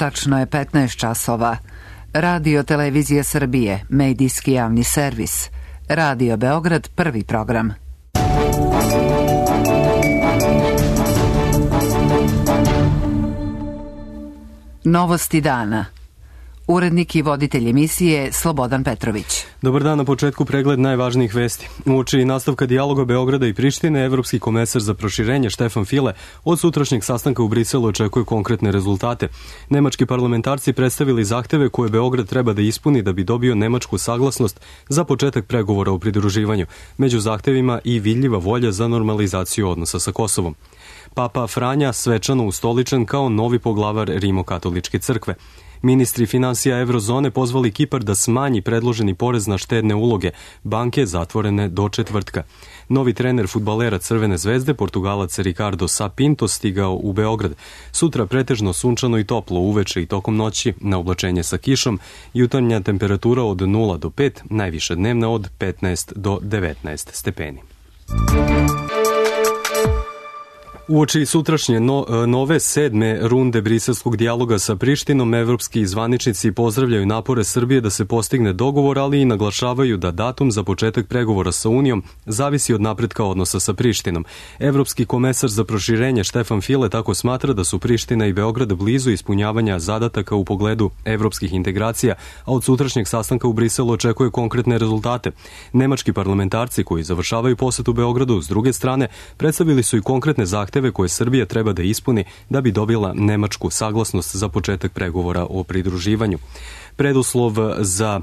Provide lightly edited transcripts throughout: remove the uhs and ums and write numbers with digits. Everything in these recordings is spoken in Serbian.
Tačno je 15 časova. Radio Televizija Srbije, medijski javni servis. Radio Beograd, prvi program. Novosti dana. Urednik i voditelj emisije Slobodan Petrović. Dobar dan, na početku pregled najvažnijih vesti. Uoči nastavka dijaloga Beograda i Prištine, evropski komesar za proširenje Štefan File od sutrašnjeg sastanka u Briselu očekuje konkretne rezultate. Nemački parlamentarci predstavili zahteve koje Beograd treba da ispuni da bi dobio nemačku saglasnost za početak pregovora o pridruživanju. Među zahtevima i vidljiva volja za normalizaciju odnosa sa Kosovom. Papa Franja svečano ustoličen kao novi poglavar Rimokatoličke crkve. Ministri finansija Eurozone pozvali Kipar da smanji predloženi porez na štedne uloge, banke zatvorene do četvrtka. Novi trener fudbalera Crvene zvezde, Portugalac Ricardo Sá Pinto, stigao u Beograd. Sutra pretežno sunčano i toplo, uveče i tokom noći, na oblačenje sa kišom, jutarnja temperatura od 0 do 5, najviša dnevna od 15 do 19 stepeni. Uoči sutrašnje nove 7. runde briselskog dijaloga sa Prištinom, evropski zvaničnici pozdravljaju napore Srbije da se postigne dogovor, ali i naglašavaju da datum za početak pregovora sa Unijom zavisi od napretka odnosa sa Prištinom. Evropski komesar za proširenje Štefan File tako smatra da su Priština i Beograd blizu ispunjavanja zadataka u pogledu evropskih integracija, a od sutrašnjeg sastanka u Briselu očekuje konkretne rezultate. Nemački parlamentarci koji završavaju posetu Beogradu, s druge strane, predstavili su i konkretne zahteve koje Srbija treba da ispuni da bi dobila nemačku saglasnost za početak pregovora o pridruživanju. Preduslov za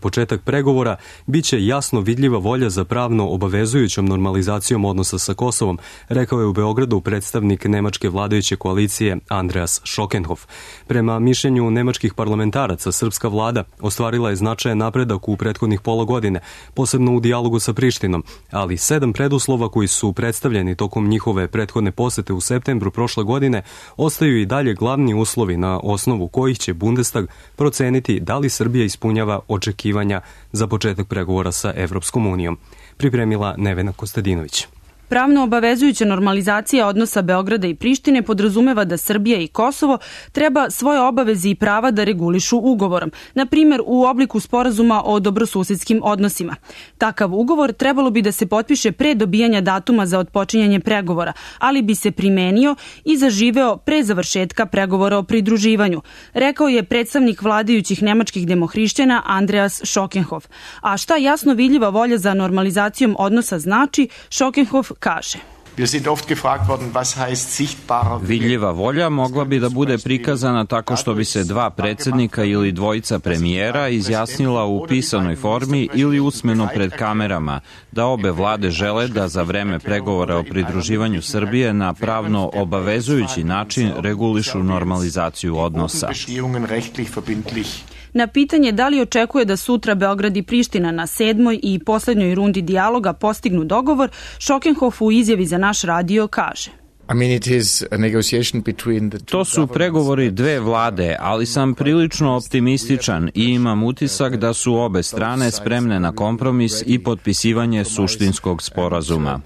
početak pregovora biće jasno vidljiva volja za pravno obavezujućom normalizacijom odnosa sa Kosovom, rekao je u Beogradu predstavnik nemačke vladajuće koalicije Andreas Schockenhof. Prema mišljenju nemačkih parlamentaraca, srpska vlada ostvarila je značajan napredak u prethodnih pola godine, posebno u dijalogu sa Prištinom, ali 7 preduslova koji su predstavljeni tokom njihove prethodne posete u septembru prošle godine ostaju i dalje glavni uslovi na osnovu kojih će Bundestag proceniti da li Srbija ispunjava očekivanja za početak pregovora sa Evropskom unijom. Pripremila Nevena Kostadinović. Pravno obavezujuća normalizacija odnosa Beograda i Prištine podrazumeva da Srbija i Kosovo treba svoje obaveze i prava da regulišu ugovorom, na primjer u obliku sporazuma o dobrosusedskim odnosima. Takav ugovor trebalo bi da se potpiše pre dobijanja datuma za otpočinjanje pregovora, ali bi se primenio i zaživeo pre završetka pregovora o pridruživanju, rekao je predstavnik vladajućih nemačkih demohrišćana Andreas Schockenhof. A šta jasno vidljiva volja za normalizacijom odnosa znači, Schockenhof kaže. Vidljiva volja mogla bi da bude prikazana tako što bi se dva predsjednika ili dvojica premijera izjasnila u pisanoj formi ili usmeno pred kamerama da obe vlade žele da za vreme pregovora o pridruživanju Srbije na pravno obavezujući način regulišu normalizaciju odnosa. Na pitanje da li očekuje da sutra Beograd i Priština na 7. i poslednjoj rundi dijaloga postignu dogovor, Schockenhof u izjavi za naš radio kaže. To su pregovori dve vlade, ali sam prilično optimističan i imam utisak da su obe strane spremne na kompromis i potpisivanje suštinskog sporazuma.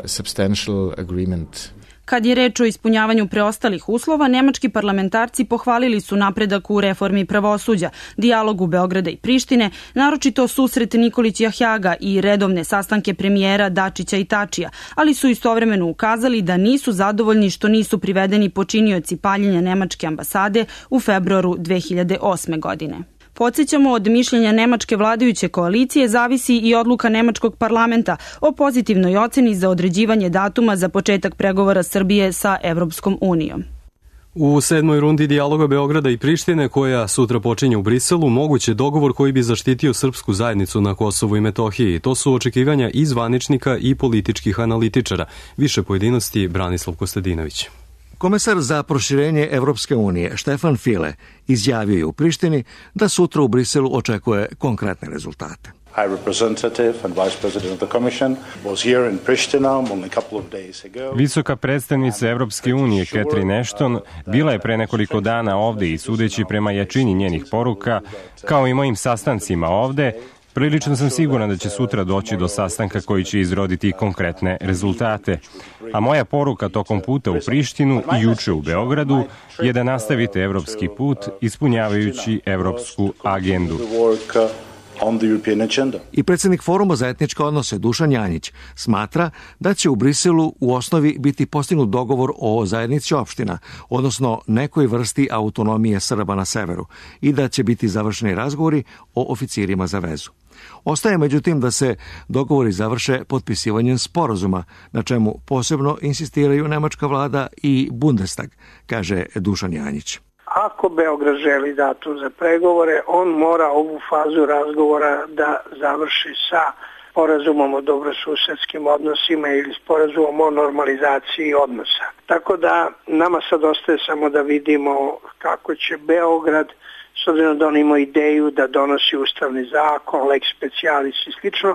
Kad je reč o ispunjavanju preostalih uslova, nemački parlamentarci pohvalili su napredak u reformi pravosuđa, dijalogu Beograda i Prištine, naročito susret Nikolić Jahjaga i redovne sastanke premijera Dačića i Tačija, ali su istovremeno ukazali da nisu zadovoljni što nisu privedeni počinioci paljenja nemačke ambasade u februaru 2008. godine. Podsjećamo, od mišljenja nemačke vladajuće koalicije zavisi i odluka nemačkog parlamenta o pozitivnoj oceni za određivanje datuma za početak pregovora Srbije sa Evropskom unijom. U 7. rundi dijaloga Beograda i Prištine, koja sutra počinje u Briselu, moguće dogovor koji bi zaštitio srpsku zajednicu na Kosovu i Metohiji. To su očekivanja i zvaničnika i političkih analitičara. Više pojedinosti Branislav Kostadinović. Komesar za proširenje Evropske unije Štefan File izjavio je u Prištini da sutra u Briselu očekuje konkretne rezultate. Visoka predstavnica Evropske unije Catherine Ashton bila je pre nekoliko dana ovde i sudeći prema jačini njenih poruka, kao i mojim sastancima ovde, Prilično sam siguran da će sutra doći do sastanka koji će izroditi konkretne rezultate. A moja poruka tokom puta u Prištinu i juče u Beogradu je da nastavite evropski put ispunjavajući evropsku agendu. I predsjednik Foruma za etničke odnose Dušan Janjić smatra da će u Briselu u osnovi biti postignut dogovor o zajednici opština, odnosno nekoj vrsti autonomije Srba na severu, i da će biti završeni razgovori o oficirima za vezu. Ostaje međutim da se dogovori završe potpisivanjem sporazuma, na čemu posebno insistiraju nemačka vlada i Bundestag, kaže Dušan Janjić. Ako Beograd želi datum za pregovore, on mora ovu fazu razgovora da završi sa sporazumom o dobrosusedskim odnosima ili sporazumom o normalizaciji odnosa. Tako da nama sad ostaje samo da vidimo kako će Beograd, s obzirom da on ima ideju da donosi ustavni zakon, lex specialis i slično,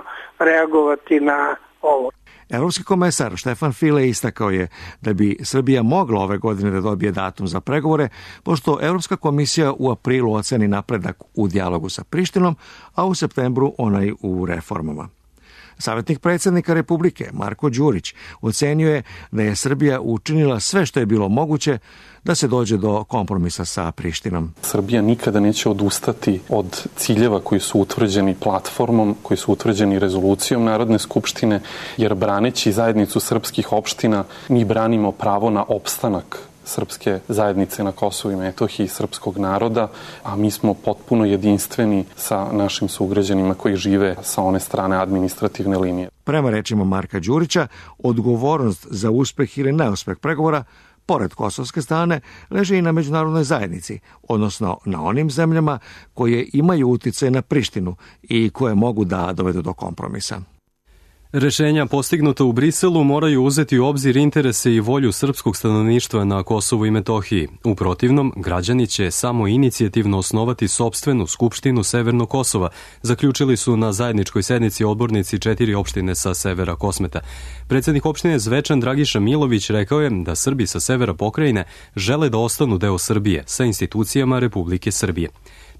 reagovati na ovo. Evropski komesar Štefan File istakao je da bi Srbija mogla ove godine da dobije datum za pregovore, pošto Evropska komisija u aprilu oceni napredak u dijalogu sa Prištinom, a u septembru onaj u reformama. Savjetnik predsjednika Republike Marko Đurić ocenio je da je Srbija učinila sve što je bilo moguće da se dođe do kompromisa sa Prištinom. Srbija nikada neće odustati od ciljeva koji su utvrđeni platformom, koji su utvrđeni rezolucijom Narodne skupštine, jer braneći zajednicu srpskih opština mi branimo pravo na opstanak srpske zajednice na Kosovu i Metohiji, srpskog naroda, a mi smo potpuno jedinstveni sa našim sugrađanima koji žive sa one strane administrativne linije. Prema rečima Marka Đurića, odgovornost za uspeh ili neuspeh pregovora, pored kosovske strane, leži i na međunarodnoj zajednici, odnosno na onim zemljama koje imaju uticaj na Prištinu i koje mogu da dovedu do kompromisa. Rešenja postignuta u Briselu moraju uzeti u obzir interese i volju srpskog stanovništva na Kosovu i Metohiji. U protivnom, građani će samo inicijativno osnovati sopstvenu skupštinu Severnog Kosova, zaključili su na zajedničkoj sednici odbornici 4 opštine sa severa Kosmeta. Predsjednik opštine Zvečan Dragiša Milović rekao je da Srbi sa severa pokrajine žele da ostanu deo Srbije sa institucijama Republike Srbije.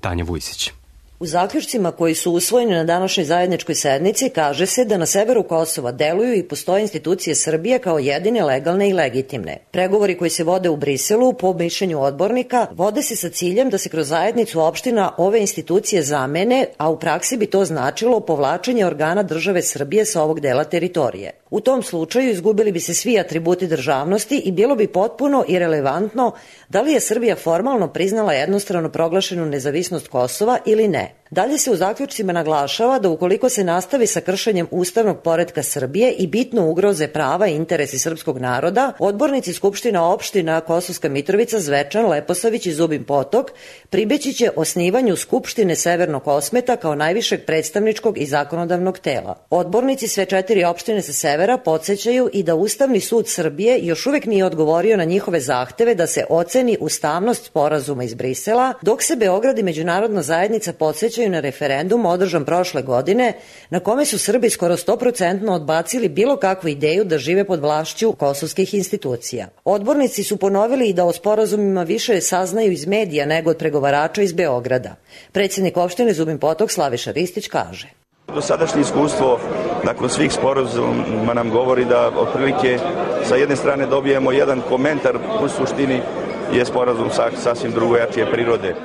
Tanja Vujsić. U zaključcima koji su usvojeni na današnjoj zajedničkoj sednici kaže se da na severu Kosova deluju i postoje institucije Srbije kao jedine legalne i legitimne. Pregovori koji se vode u Briselu, po mišljenju odbornika, vode se sa ciljem da se kroz zajednicu opština ove institucije zamene, a u praksi bi to značilo povlačenje organa države Srbije sa ovog dela teritorije. U tom slučaju izgubili bi se svi atributi državnosti i bilo bi potpuno irelevantno da li je Srbija formalno priznala jednostrano proglašenu nezavisnost Kosova ili ne. Dalje se u zaključcima naglašava da ukoliko se nastavi sa kršenjem ustavnog poretka Srbije i bitno ugroze prava i interesi srpskog naroda, odbornici Skupština opština Kosovska Mitrovica, Zvečan, Leposavić i Zubin Potok pribeći će osnivanju Skupštine Severnog Kosmeta kao najvišeg predstavničkog i zakonodavnog tela. Odbornici sve 4 opštine sa severa podsećaju i da Ustavni sud Srbije još uvek nije odgovorio na njihove zahteve da se oceni ustavnost sporazuma iz Brisela, dok se Beograd i međunarodna zajednica podsećaju na referendum održan prošle godine, na kome su Srbi skoro 100% odbacili bilo kakvu ideju da žive pod vlašću kosovskih institucija. Odbornici su ponovili i da o sporazumima više saznaju iz medija nego od pregovarača iz Beograda. Predsjednik opštine Zubin Potok Slaviša Ristić kaže: Dosadašnje iskustvo nakon svih sporazuma nam govori da otprilike sa jedne strane dobijemo jedan komentar, u suštini je sporazum sasvim drugojačije prirode.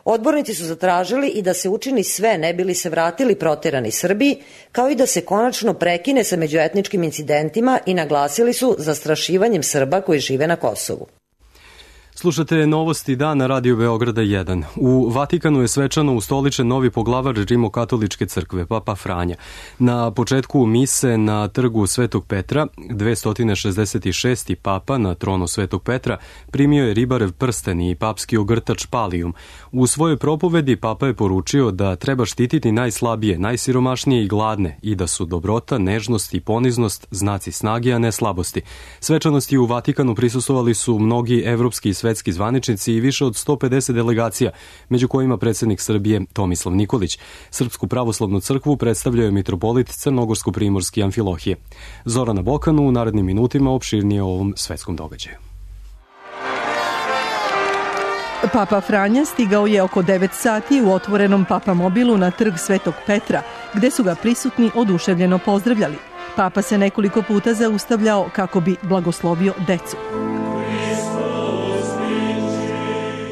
Odbornici su zatražili i da se učini sve ne bili se vratili proterani Srbi, kao i da se konačno prekine sa međuetničkim incidentima i naglasili su zastrašivanjem Srba koji žive na Kosovu. Slušate novosti dana Radio Beograda 1. U Vatikanu je svečano ustoličen novi poglavar Rimokatoličke crkve, Papa Franja. Na početku mise na trgu Svetog Petra, 266. papa na tronu Svetog Petra primio je ribarev prsten i papski ogrtač palijum. U svojoj propovedi papa je poručio da treba štititi najslabije, najsiromašnije i gladne i da su dobrota, nežnost i poniznost znaci snage, a ne slabosti. Svečanosti u Vatikanu prisustvovali su mnogi evropski i svetski zvaničnici i više od 150 delegacija, među kojima predsjednik Srbije Tomislav Nikolić. Srpsku pravoslavnu crkvu predstavljao je mitropolit Crnogorsko-primorski Amfilohije. Zorana Bokanu u narednim minutima opširnije o ovom svetskom događaju. Papa Franja stigao je oko 9 sati u otvorenom papamobilu na trg Svetog Petra, gde su ga prisutni oduševljeno pozdravljali. Papa se nekoliko puta zaustavljao kako bi blagoslovio decu.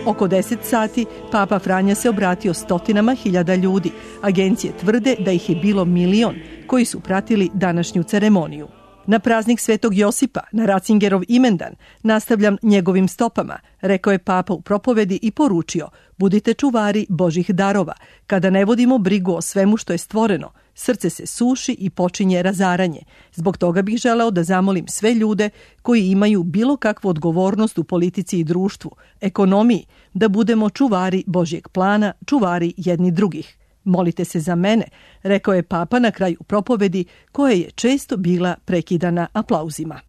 Oko 10 sati Papa Franja se obratio stotinama hiljada ljudi. Agencije tvrde da ih je bilo 1 milion koji su pratili današnju ceremoniju. Na praznik Svetog Josipa, na Ratzingerov imendan, nastavljam njegovim stopama, rekao je Papa u propovedi i poručio: budite čuvari Božih darova. Kada ne vodimo brigu o svemu što je stvoreno, srce se suši i počinje razaranje. Zbog toga bih želeo da zamolim sve ljude koji imaju bilo kakvu odgovornost u politici i društvu, ekonomiji, da budemo čuvari Božjeg plana, čuvari jedni drugih. Molite se za mene, rekao je Papa na kraju propovedi, koja je često bila prekidana aplauzima.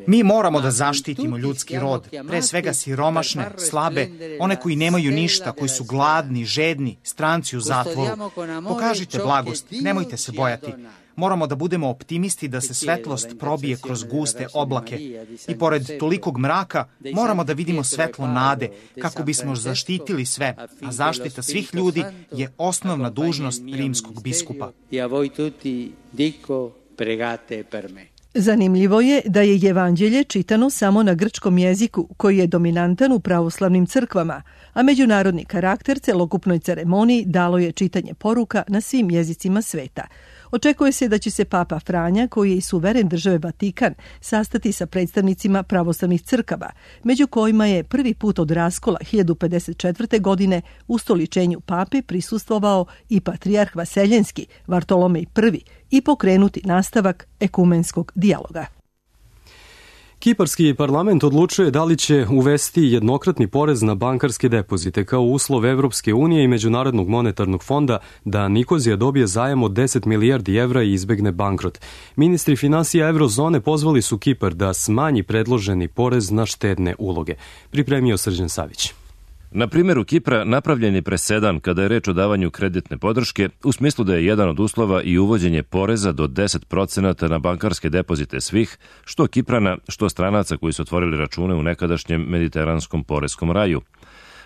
Mi moramo da zaštitimo ljudski rod, pre svega siromašne, slabe, one koji nemaju ništa, koji su gladni, žedni, stranci u zatvoru. Pokažite blagost, nemojte se bojati. Moramo da budemo optimisti da se svetlost probije kroz guste oblake. I pored tolikog mraka moramo da vidimo svetlo nade kako bismo zaštitili sve, a zaštita svih ljudi je osnovna dužnost rimskog biskupa. Zanimljivo je da je evanđelje čitano samo na grčkom jeziku, koji je dominantan u pravoslavnim crkvama, a međunarodni karakter celokupnoj ceremoniji dalo je čitanje poruka na svim jezicima sveta. Očekuje se da će se Papa Franja, koji je i suveren države Vatikan, sastati sa predstavnicima pravoslavnih crkava, među kojima je prvi put od raskola 1054. godine ustoličenju pape prisustvovao i patrijarh Vaseljenski, Vartolomej I, i pokrenuti nastavak ekumenskog dijaloga. Kiparski parlament odlučuje da li će uvesti jednokratni porez na bankarske depozite kao uslov Evropske unije i Međunarodnog monetarnog fonda da Nikozija dobije zajam od 10 milijardi evra i izbegne bankrot. Ministri finansija Eurozone pozvali su Kipar da smanji predloženi porez na štedne uloge. Pripremio Srđan Savić. Na primjeru Kipra napravljen je presedan kada je reč o davanju kreditne podrške, u smislu da je jedan od uslova i uvođenje poreza do 10% na bankarske depozite svih, što Kiprana, što stranaca koji su otvorili račune u nekadašnjem mediteranskom poreskom raju.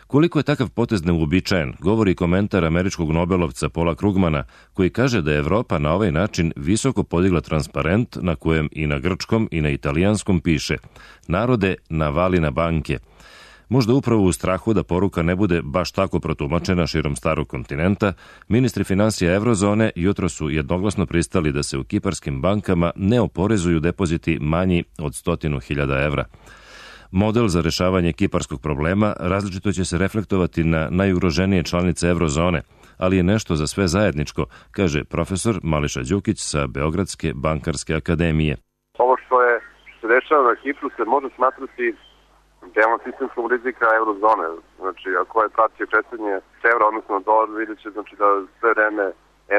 Koliko je takav potez neuobičajen, govori komentar američkog nobelovca Paula Krugmana, koji kaže da je Evropa na ovaj način visoko podigla transparent na kojem i na grčkom i na italijanskom piše: narode, navali na banke. Možda upravo u strahu da poruka ne bude baš tako protumačena širom starog kontinenta, ministri finansija Eurozone jutro su jednoglasno pristali da se u kiparskim bankama ne oporezuju depoziti manji od 100.000 evra. Model za rešavanje kiparskog problema različito će se reflektovati na najugroženije članice Eurozone, ali je nešto za sve zajedničko, kaže profesor Mališa Đukić sa Beogradske bankarske akademije. Ovo što se dešava na Kipru se može smatrati delom sistemskog rizika eurozone. Znači, ako je pratio kretanje evra, odnosno dolar, vidjet će znači, da sve vreme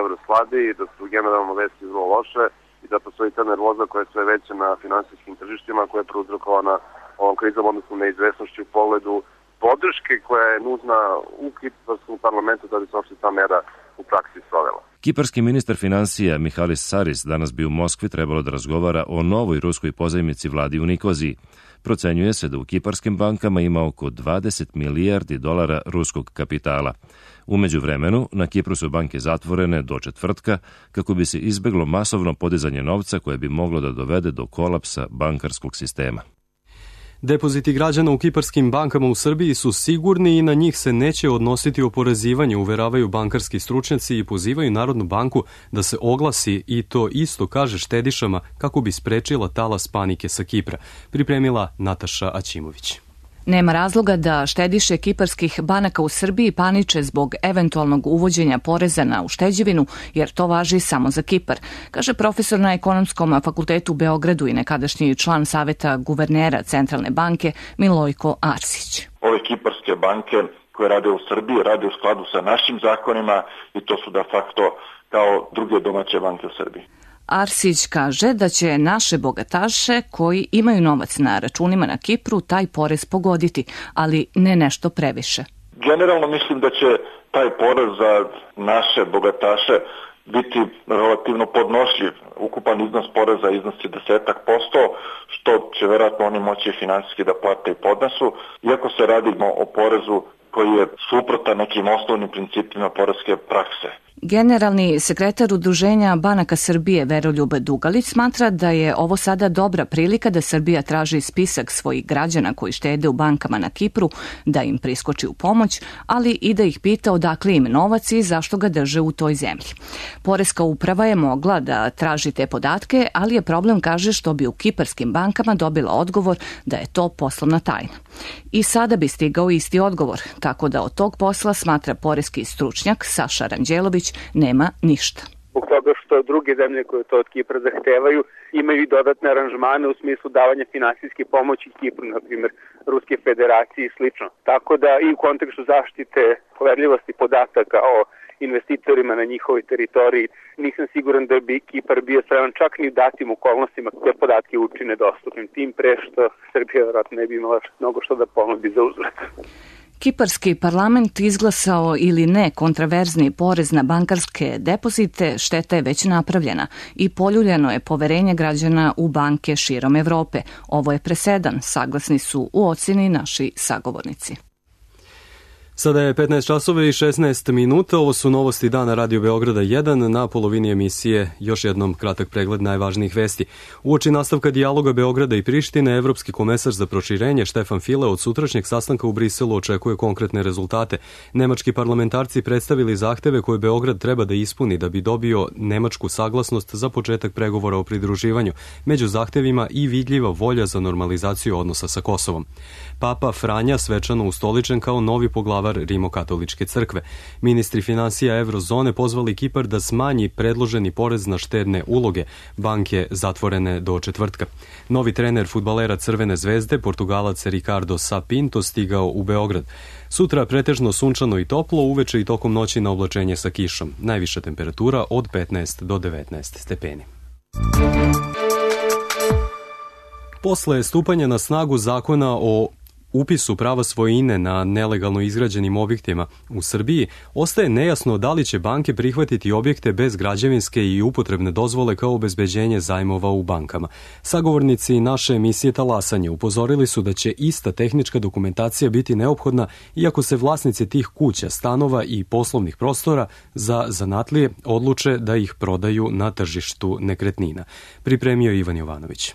euro slabi i da su generalno vesti vrlo loše i da postoji ta nervoza koja je sve veća na finansijskim tržištima, koja je prouzrokovana ovom krizom, odnosno neizvesnošću u pogledu podrške koja je nužna u kiparskom parlamentu da bi se uopšte ta mera u praksi sprovela. Kiparski ministar finansija Mihalis Saris danas bi u Moskvi trebalo da razgovara o novoj ruskoj pozajmici vladi u Nikoziji. Procenjuje se da u kiparskim bankama ima oko 20 milijardi dolara ruskog kapitala. U međuvremenu, na Kipru su banke zatvorene do četvrtka kako bi se izbeglo masovno podizanje novca koje bi moglo da dovede do kolapsa bankarskog sistema. Depoziti građana u kiparskim bankama u Srbiji su sigurni i na njih se neće odnositi oporezivanje, uveravaju bankarski stručnjaci i pozivaju Narodnu banku da se oglasi i to isto kaže štedišama kako bi sprečila talas panike sa Kipra. Pripremila Nataša Aćimović. Nema razloga da štediše kiparskih banaka u Srbiji paniče zbog eventualnog uvođenja poreza na ušteđevinu, jer to važi samo za Kipar, kaže profesor na Ekonomskom fakultetu u Beogradu i nekadašnji član Saveta guvernera Centralne banke Milojko Arsić. Ove kiparske banke koje rade u Srbiji rade u skladu sa našim zakonima i to su de facto kao druge domaće banke u Srbiji. Arsić kaže da će naše bogataše koji imaju novac na računima na Kipru taj porez pogoditi, ali ne nešto previše. Generalno mislim da će taj porez za naše bogataše biti relativno podnošljiv. Ukupan iznos poreza iznosi 10%, što će verovatno oni moći finansijski da plate i podnesu. Iako se radi o porezu koji je suprotan nekim osnovnim principima poreske prakse. Generalni sekretar Udruženja banaka Srbije Veroljub Dugalić smatra da je ovo sada dobra prilika da Srbija traži spisak svojih građana koji štede u bankama na Kipru, da im priskoči u pomoć, ali i da ih pita odakle im novac i zašto ga drže u toj zemlji. Poreska uprava je mogla da traži te podatke, ali je problem, kaže, što bi u kiparskim bankama dobila odgovor da je to poslovna tajna. I sada bi stigao isti odgovor, tako da od tog posla, smatra poreski stručnjak Saša Ranđelović, nema ništa. Zbog toga što druge zemlje koje to od Kipra zahtevaju imaju i dodatne aranžmane u smislu davanja finansijske pomoći Kipru, na primjer Ruske federacije i slično. Tako da i u kontekstu zaštite poverljivosti podataka o investitorima na njihovoj teritoriji nisam siguran da bi Kipar bio spreman čak ni u datim okolnostima te podatke učine dostupnim, tim pre što Srbija vjerojatno ne bi imala mnogo što da ponudi za uzvrat. Kiparski parlament izglasao ili ne kontraverzni porez na bankarske depozite, šteta je već napravljena i poljuljeno je poverenje građana u banke širom Evrope. Ovo je presedan, saglasni su u ocjeni naši sagovornici. Sada je 15 časova i 16 minuta. Ovo su novosti dana Radio Beograda 1. Na polovini emisije još jednom kratak pregled najvažnijih vesti. Uoči nastavka dijaloga Beograda i Prištine, Evropski komesar za proširenje Štefan File od sutrašnjeg sastanka u Briselu očekuje konkretne rezultate. Nemački parlamentarci predstavili zahteve koje Beograd treba da ispuni da bi dobio nemačku saglasnost za početak pregovora o pridruživanju. Među zahtevima i vidljiva volja za normalizaciju odnosa sa Kosovom. Papa Franja svečano ustoličen kao novi poglavar Rimokatoličke crkve. Ministri finansija Evrozone pozvali Kipar da smanji predloženi porez na štedne uloge. Banke zatvorene do četvrtka. Novi trener fudbalera Crvene zvezde, Portugalac Ricardo Sapinto, stigao u Beograd. Sutra pretežno sunčano i toplo, uveče i tokom noći na oblačenje sa kišom. Najviša temperatura od 15 do 19 stepeni. Posle stupanja na snagu zakona o upisu prava svojine na nelegalno izgrađenim objektima u Srbiji, ostaje nejasno da li će banke prihvatiti objekte bez građevinske i upotrebne dozvole kao obezbeđenje zajmova u bankama. Sagovornici naše emisije Talasanje upozorili su da će ista tehnička dokumentacija biti neophodna iako se vlasnici tih kuća, stanova i poslovnih prostora za zanatlije odluče da ih prodaju na tržištu nekretnina. Pripremio Ivan Jovanović.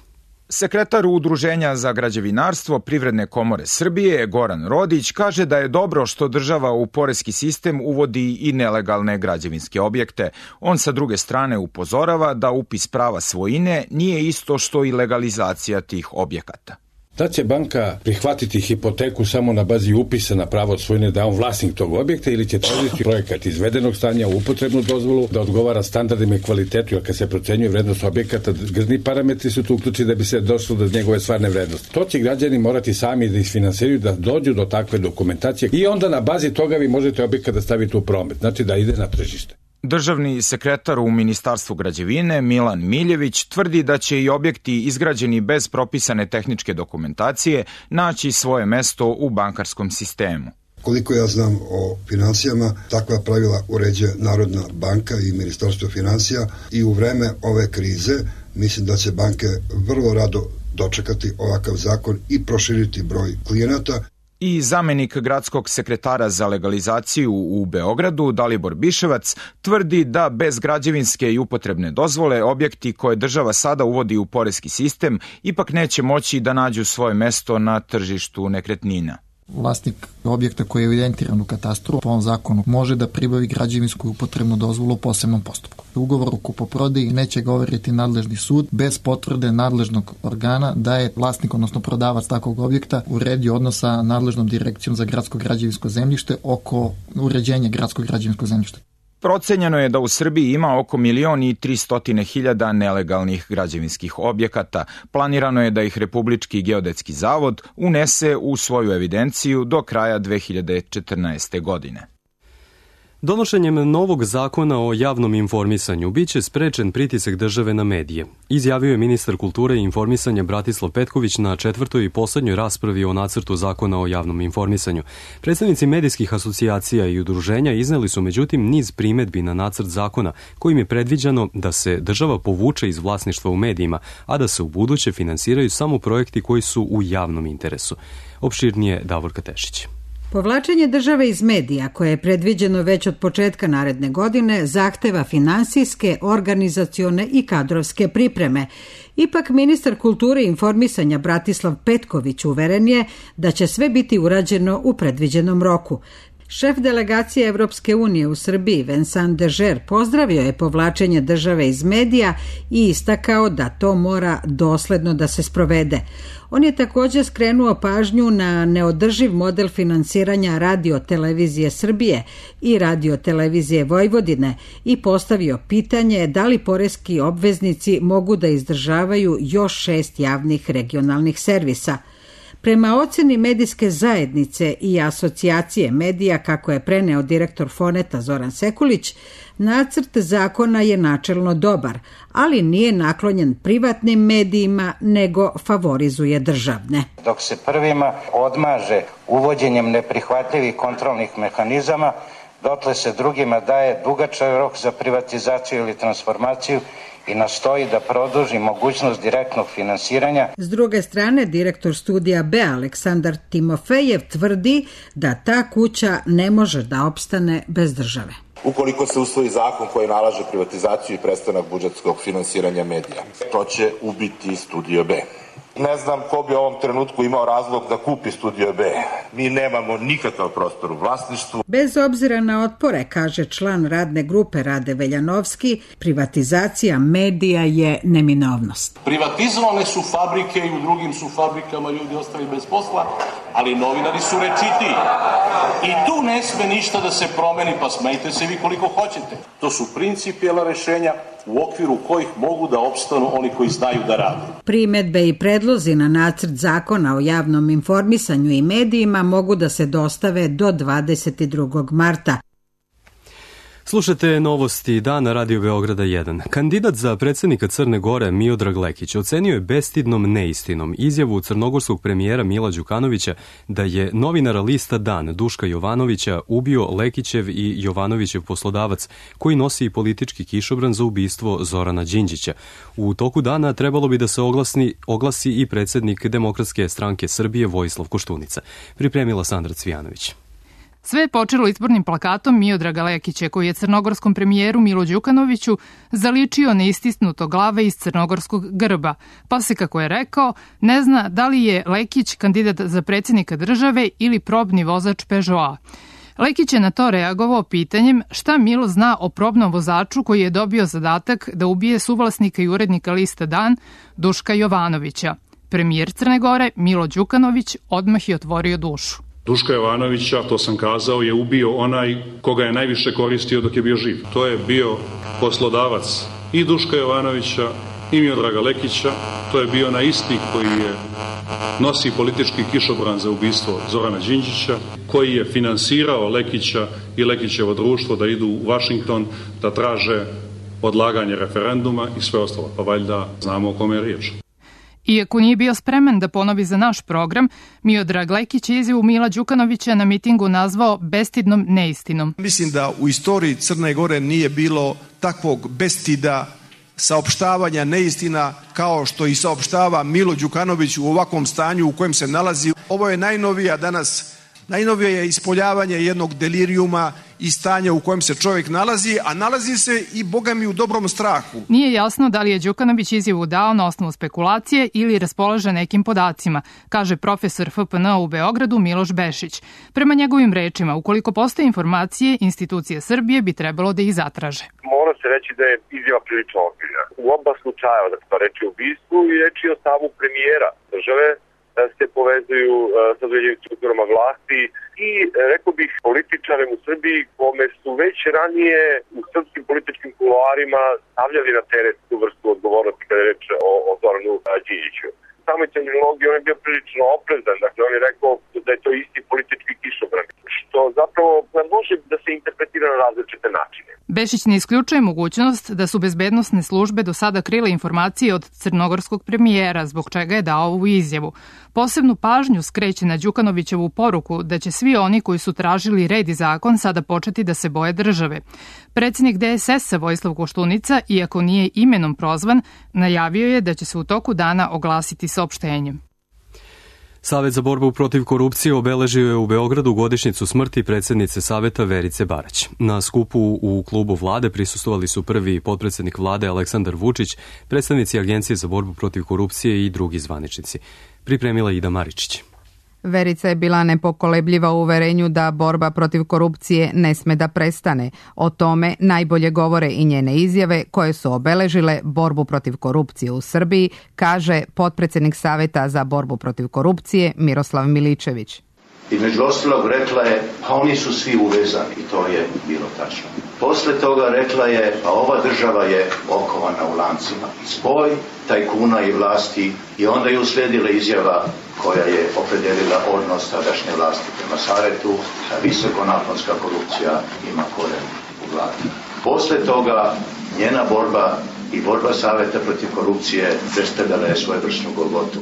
Sekretar Udruženja za građevinarstvo Privredne komore Srbije, Goran Rodić, kaže da je dobro što država u poreski sistem uvodi i nelegalne građevinske objekte. On sa druge strane upozorava da upis prava svojine nije isto što i legalizacija tih objekata. Da će banka prihvatiti hipoteku samo na bazi upisa na pravo svojine da je on vlasnik tog objekta ili će tražiti projekat izvedenog stanja, upotrebnu dozvolu, da odgovara standardima i kvalitetu, jer kad se procenjuje vrednost objekata, grzni parametri su tu uključeni da bi se došlo do njegove stvarne vrednosti. To će građani morati sami da isfinansiraju, da dođu do takve dokumentacije i onda na bazi toga vi možete objekat da stavite u promet, znači da ide na tržište. Državni sekretar u Ministarstvu građevine Milan Miljević tvrdi da će i objekti izgrađeni bez propisane tehničke dokumentacije naći svoje mesto u bankarskom sistemu. Koliko ja znam o finansijama, takva pravila uređuje Narodna banka i Ministarstvo finansija i u vreme ove krize mislim da će banke vrlo rado dočekati ovakav zakon i proširiti broj klijenata. I zamenik gradskog sekretara za legalizaciju u Beogradu, Dalibor Biševac, tvrdi da bez građevinske i upotrebne dozvole objekti koje država sada uvodi u poreski sistem ipak neće moći da nađu svoje mesto na tržištu nekretnina. Vlasnik objekta koji je evidentiran u katastru po ovom zakonu može da pribavi građevinsku i upotrebnu dozvolu u posebnom postupku. Ugovor o kupoprodaji neće ga overiti nadležni sud bez potvrde nadležnog organa da je vlasnik, odnosno prodavac takvog objekta, uredio odnos sa nadležnom direkcijom za gradsko građevinsko zemljište oko uređenja gradskog građevinskog zemljišta. Procenjeno je da u Srbiji ima oko 1.300.000 nelegalnih građevinskih objekata. Planirano je da ih Republički geodetski zavod unese u svoju evidenciju do kraja 2014. godine. Donošenjem novog zakona o javnom informisanju biće sprečen pritisak države na medije, izjavio je ministar kulture i informisanja Bratislav Petković na četvrtoj i poslednjoj raspravi o nacrtu zakona o javnom informisanju. Predstavnici medijskih asocijacija i udruženja izneli su međutim niz primedbi na nacrt zakona kojim je predviđeno da se država povuče iz vlasništva u medijima, a da se u buduće finansiraju samo projekti koji su u javnom interesu. Opširnije Davorka Tešić. Povlačenje države iz medija, koje je predviđeno već od početka naredne godine, zahteva finansijske, organizacione i kadrovske pripreme. Ipak ministar kulture i informisanja Bratislav Petković uveren je da će sve biti urađeno u predviđenom roku. Šef delegacije Evropske unije u Srbiji, Vincent Dežer, pozdravio je povlačenje države iz medija i istakao da to mora dosledno da se sprovede. On je također skrenuo pažnju na neodrživ model finansiranja Radio-televizije Srbije i Radio-televizije Vojvodine i postavio pitanje da li poreski obveznici mogu da izdržavaju još 6 javnih regionalnih servisa. Prema oceni medijske zajednice i asocijacije medija, kako je preneo direktor Foneta Zoran Sekulić, nacrt zakona je načelno dobar, ali nije naklonjen privatnim medijima, nego favorizuje državne. Dok se prvima odmaže uvođenjem neprihvatljivih kontrolnih mehanizama, dotle se drugima daje dugačak rok za privatizaciju ili transformaciju i nastoji da produži mogućnost direktnog finansiranja. S druge strane, direktor studija B. Aleksandar Timofejev tvrdi da ta kuća ne može da opstane bez države. Ukoliko se usvoji zakon koji nalaže privatizaciju i prestanak budžetskog finansiranja medija, to će ubiti Studio B. Ne znam ko bi u ovom trenutku imao razlog da kupi Studio B. Mi nemamo nikakav prostor u vlasništvu. Bez obzira na otpore, kaže član radne grupe Rade Veljanovski, privatizacija medija je neminovnost. Privatizovane su fabrike i u drugim su fabrikama ljudi ostali bez posla, ali novinari su rečitiji. I tu ne sme ništa da se promeni, pa smejte se vi koliko hoćete. To su principijelna rešenja u okviru kojih mogu da opstanu oni koji znaju da rade. Primedbe i predlozi na nacrt zakona o javnom informisanju i medijima mogu da se dostave do 22. marta. Slušate novosti dana Radio Beograda 1. Kandidat za predsjednika Crne Gore Miodrag Lekić ocenio je bestidnom neistinom izjavu crnogorskog premijera Mila Đukanovića da je novinara lista Dan Duška Jovanovića ubio Lekićev i Jovanovićev poslodavac koji nosi politički kišobran za ubistvo Zorana Đinđića. U toku dana trebalo bi da se oglasi i predsjednik Demokratske stranke Srbije Vojislav Koštunica. Pripremila Sandra Cvijanović. Sve je počelo izbornim plakatom Miodraga Lekića, koji je crnogorskom premijeru Milu Đukanoviću zaličio neistisnuto glave iz crnogorskog grba, pa se, kako je rekao, ne zna da li je Lekić kandidat za predsjednika države ili probni vozač Peugeota. Lekić je na to reagovao pitanjem šta Milo zna o probnom vozaču koji je dobio zadatak da ubije suvlasnika i urednika lista Dan Duška Jovanovića. Premijer Crne Gore Milo Đukanović odmah je otvorio dušu. Duška Jovanovića, to sam kazao, je ubio onaj koga je najviše koristio dok je bio živ. To je bio poslodavac i Duška Jovanovića i Miodraga Lekića. To je bio onaj isti koji je nosi politički kišobran za ubistvo Zorana Đinđića, koji je finansirao Lekića i Lekićevo društvo da idu u Vašington da traže odlaganje referenduma i sve ostalo. Pa valjda znamo o kome je riječ. Iako nije bio spreman da ponovi za naš program, Miodrag Lekić je izjavu Mila Đukanovića na mitingu nazvao bestidnom neistinom. Mislim da u istoriji Crne Gore nije bilo takvog bestida saopštavanja neistina kao što i saopštava Milo Đukanović u ovakvom stanju u kojem se nalazi. Ovo je najnovije je ispoljavanje jednog delirijuma i stanja u kojem se čovjek nalazi, a nalazi se i, boga mi, u dobrom strahu. Nije jasno da li je Đukanović izjavu dao na osnovu spekulacije ili raspolaže nekim podacima, kaže profesor FPN u Beogradu Miloš Bešić. Prema njegovim rečima, ukoliko postoje informacije, institucije Srbije bi trebalo da ih zatraže. Mora se reći da je izjava prilično ozbiljna. U oba slučaja, da se to reči o ubistvu i reči o stavu premijera države, se povezuju sa određenim strukturama vlasti i, rekao bih, političarem u Srbiji kome su već ranije u srpskim političkim kuloarima stavljali na teret tu vrstu odgovornosti kada je reč o Zoranu Đinđiću. Samoj terminologiji on je bio prilično oprezan, dakle on je rekao da je to isti politički kišobran, što zapravo može da se interpretira na različite načine. Bešić ne isključuje mogućnost da su bezbednosne službe do sada krile informacije od crnogorskog premijera, zbog čega je dao ovu izjavu. Posebnu pažnju skreće na Đukanovićevu poruku da će svi oni koji su tražili red i zakon sada početi da se boje države. Predsjednik DSS-a Vojislav Koštunica, iako nije imenom prozvan, najavio je da će se u toku dana oglasiti saopštenjem. Savet za borbu protiv korupcije obeležio je u Beogradu godišnjicu smrti predsjednice Saveta Verice Barać. Na skupu u klubu vlade prisustvovali su prvi potpredsjednik vlade Aleksandar Vučić, predstavnici Agencije za borbu protiv korupcije i drugi zvaničnici. Pripremila Ida Maričić. Verica je bila nepokolebljiva u uverenju da borba protiv korupcije ne sme da prestane. O tome najbolje govore i njene izjave koje su obeležile borbu protiv korupcije u Srbiji, kaže potpredsjednik Saveta za borbu protiv korupcije Miroslav Miličević. I među ostalog rekla je, pa oni su svi uvezani, i to je bilo tačno. Posle toga rekla je, pa ova država je okovana u lancima. Spoj tajkuna i vlasti, i onda je usledila izjava koja je opredelila odnos tadašnje vlasti prema Savetu, a visokonaponska korupcija ima koren u vladi. Posle toga njena borba i borba Saveta protiv korupcije predstavljala je svojevrsnu golgotu.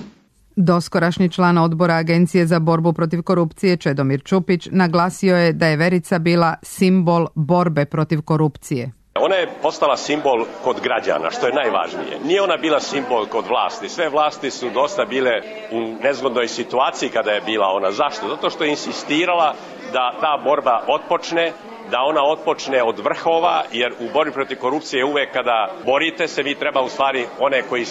Doskorašnji član odbora Agencije za borbu protiv korupcije Čedomir Čupić naglasio je da je Verica bila simbol borbe protiv korupcije. Ona je postala simbol kod građana, što je najvažnije. Nije ona bila simbol kod vlasti. Sve vlasti su dosta bile u nezgodnoj situaciji kada je bila ona. Zašto? Zato što je insistirala da ta borba otpočne, da ona otpočne od vrhova, jer u borbi protiv korupcije uvek kada borite se, vi treba u stvari one koji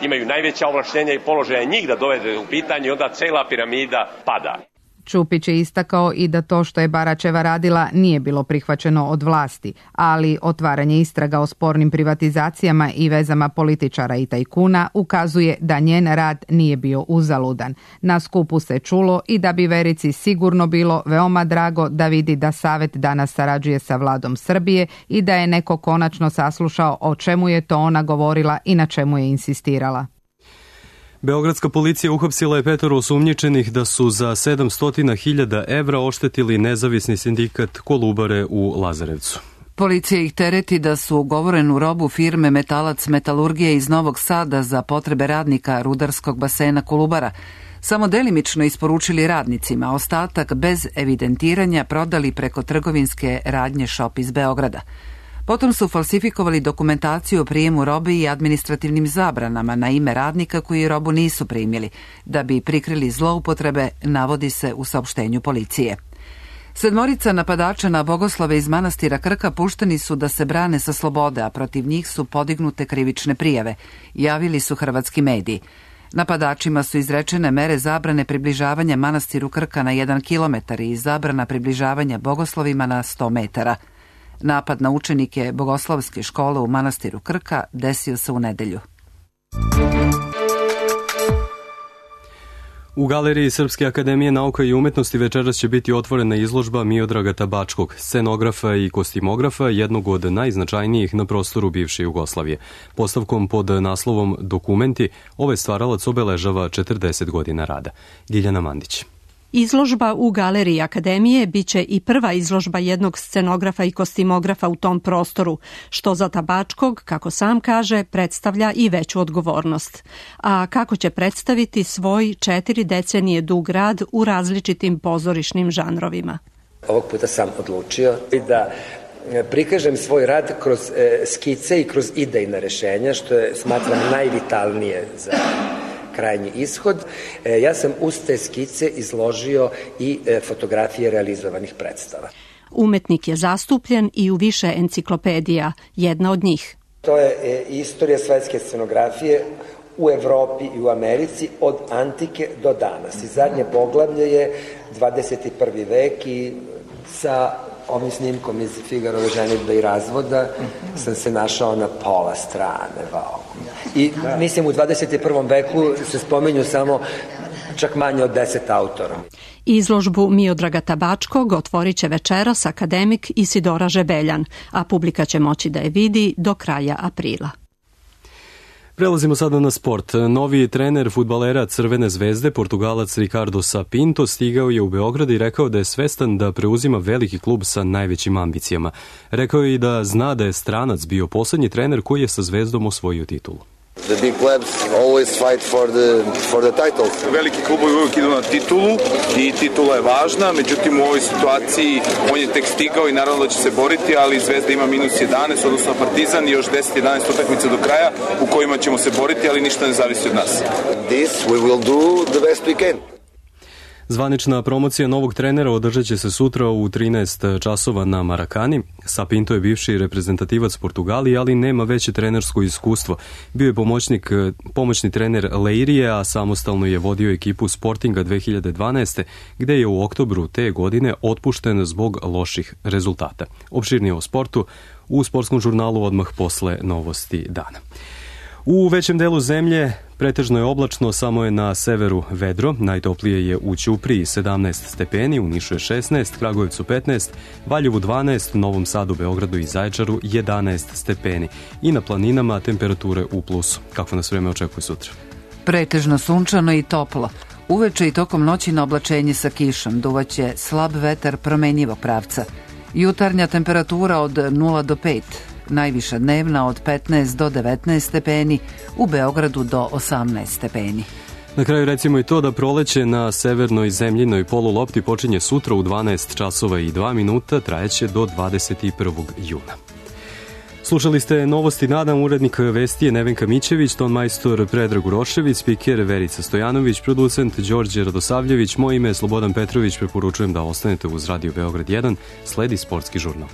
imaju najveća ovlaštenja i položaja njih da dovede u pitanje i onda cela piramida pada. Čupić je istakao i da to što je Baračeva radila nije bilo prihvaćeno od vlasti, ali otvaranje istraga o spornim privatizacijama i vezama političara i tajkuna ukazuje da njen rad nije bio uzaludan. Na skupu se čulo i da bi Verici sigurno bilo veoma drago da vidi da Savet danas sarađuje sa vladom Srbije i da je neko konačno saslušao o čemu je to ona govorila i na čemu je insistirala. Beogradska policija uhapsila je 5 osumnjičenih da su za 700.000 evra oštetili nezavisni sindikat Kolubare u Lazarevcu. Policija ih tereti da su ugovorenu robu firme Metalac Metalurgije iz Novog Sada za potrebe radnika rudarskog basena Kolubara samo delimično isporučili radnicima, ostatak bez evidentiranja prodali preko trgovinske radnje Shop iz Beograda. Potom su falsifikovali dokumentaciju o prijemu robe i administrativnim zabranama na ime radnika koji robu nisu primili, da bi prikrili zloupotrebe, navodi se u saopštenju policije. 7 napadača na bogoslove iz manastira Krka pušteni su da se brane sa slobode, a protiv njih su podignute krivične prijave, javili su hrvatski mediji. Napadačima su izrečene mere zabrane približavanja manastiru Krka na 1 kilometar i zabrana približavanja bogoslovima na 100 metara. Napad na učenike bogoslovske škole u manastiru Krka desio se u nedelju. U galeriji Srpske akademije nauka i umetnosti večeras će biti otvorena izložba Miodraga Tabačkog, scenografa i kostimografa, jednog od najznačajnijih na prostoru bivše Jugoslavije. Postavkom pod naslovom Dokumenti ovaj stvaralac obeležava 40 godina rada. Ljiljana Mandić. Izložba u galeriji Akademije biće i prva izložba jednog scenografa i kostimografa u tom prostoru, što za Tabačkog, kako sam kaže, predstavlja i veću odgovornost. A kako će predstaviti svoj 4 decenije dug rad u različitim pozorišnim žanrovima? Ovog puta sam odlučio da prikažem svoj rad kroz skice i kroz idejna rešenja, što je, smatram, najvitalnije za krajnji ishod. Ja sam uz te skice izložio i fotografije realizovanih predstava. Umetnik je zastupljen i u više enciklopedija, jedna od njih. To je istorija svetske scenografije u Evropi i u Americi od antike do danas. I zadnje poglavlje je 21. vek i sa ovim snimkom iz Figarove ženidbe i razvoda sam se našao na pola strane. I mislim u 21. veku se spominju samo čak manje od 10 autora. Izložbu Miodraga Tabačkog otvorit će večeras akademik Isidora Žebeljan, a publika će moći da je vidi do kraja aprila. Prelazimo sada na sport. Novi trener fudbalera Crvene zvezde, Portugalac Ricardo Sapinto, stigao je u Beograd i rekao da je svestan da preuzima veliki klub sa najvećim ambicijama. Rekao je i da zna da je stranac bio poslednji trener koji je sa Zvezdom osvojio titulu. The big clubs always fight for the title. Veliki klubovi uvijek idu na titulu i titula je važna, međutim u ovoj situaciji on je tek stigao i naravno da će se boriti, ali Zvezda ima minus 11, odnosno Partizan i još 10-11 utakmica do kraja u kojima ćemo se boriti, ali ništa ne zavisi od nas. This we will do the best we can. Zvanična promocija novog trenera održat će se sutra u 13 časova na Marakani. Sapinto je bivši reprezentativac Portugalije, ali nema veće trenersko iskustvo. Bio je pomoćni trener Leirije, a samostalno je vodio ekipu Sportinga 2012. gde je u oktobru te godine otpušten zbog loših rezultata. Opširnije o sportu u sportskom žurnalu odmah posle novosti dana. U većem delu zemlje pretežno je oblačno, samo je na severu vedro. Najtoplije je u Ćupriji 17 stepeni, u Nišu je 16, Kragujevcu 15, Valjevu 12, Novom Sadu, Beogradu i Zaječaru 11 stepeni. I na planinama temperature u plusu. Kako nas vreme očekuje sutra? Pretežno sunčano i toplo. Uveče i tokom noći na oblačenje sa kišom duvaće slab vetar promenjivog pravca. Jutarnja temperatura od 0 do 5. Najviša dnevna od 15 do 19 stepeni, u Beogradu do 18 stepeni. Na kraju recimo i to da proleće na severnoj zemljinoj polulopti počinje sutra u 12 časova i 2 minuta, trajeće do 21. juna. Slušali ste novosti dana, urednik vesti je Nevenka Mićević, ton majstor Predrag Urošević, spiker Verica Stojanović, producent Đorđe Radosavljević, moje ime je Slobodan Petrović, preporučujem da ostanete uz Radio Beograd 1, sledi sportski žurnal.